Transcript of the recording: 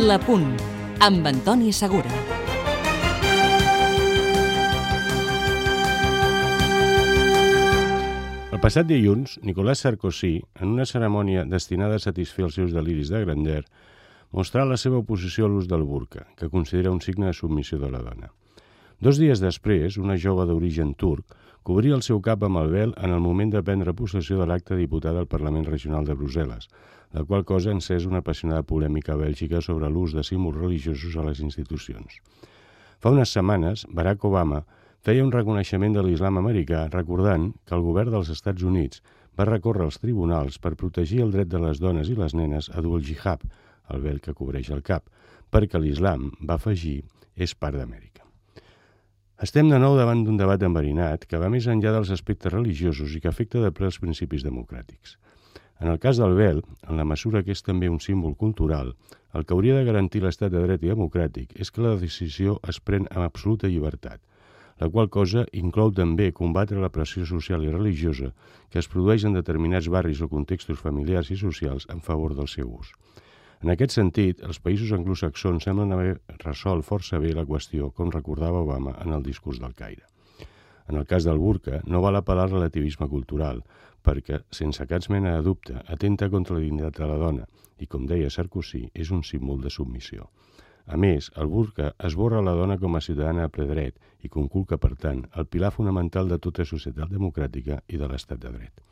La Punt, amb Antoni Segura. El passat dilluns, Nicolas Sarkozy, en una cerimònia destinada a satisfer els seus deliris de grandeur, mostrà la seva oposició a l'ús del burca, que considera un signe de submissió de la dona. 2 dies després, una jove d'origen turc cobria el seu cap amb el vel en el moment de prendre possessió de l'acte de diputada al Parlament Regional de Brussel·les, la qual cosa ha encès una apassionada polèmica a Bèlgica sobre l'ús de símbols religiosos a les institucions. Fa unes setmanes, Barack Obama feia un reconeixement de l'islam americà recordant que el govern dels Estats Units va recórrer als tribunals per protegir el dret de les dones i les nenes a dur el jihad, el vel que cobreix el cap, perquè l'islam, va afegir, és part d'Amèrica. Estem de nou davant d'un debat enverinat que va més enllà dels aspectes religiosos i que afecta de ple els principis democràtics. En el cas del vel, en la mesura que és també un símbol cultural, el que hauria de garantir l'estat de dret i democràtic és que la decisió es pren amb absoluta llibertat, la qual cosa inclou també combatre la pressió social i religiosa que es produeix en determinats barris o contextos familiars i socials en favor del seu ús. En aquest sentit, els països anglosaxons semblen haver resolt força bé la qüestió, com recordava Obama en el discurs del Caire. En el cas del burca, no val apel·lar al relativisme cultural, perquè, sense cap mena de dubte, atenta contra la dignitat de la dona i, com deia Sarkozy, és un símbol de submissió. A més, el burca esborra la dona com a ciutadana a ple dret i conculca, per tant, el pilar fonamental de tota societat democràtica i de l'estat de dret.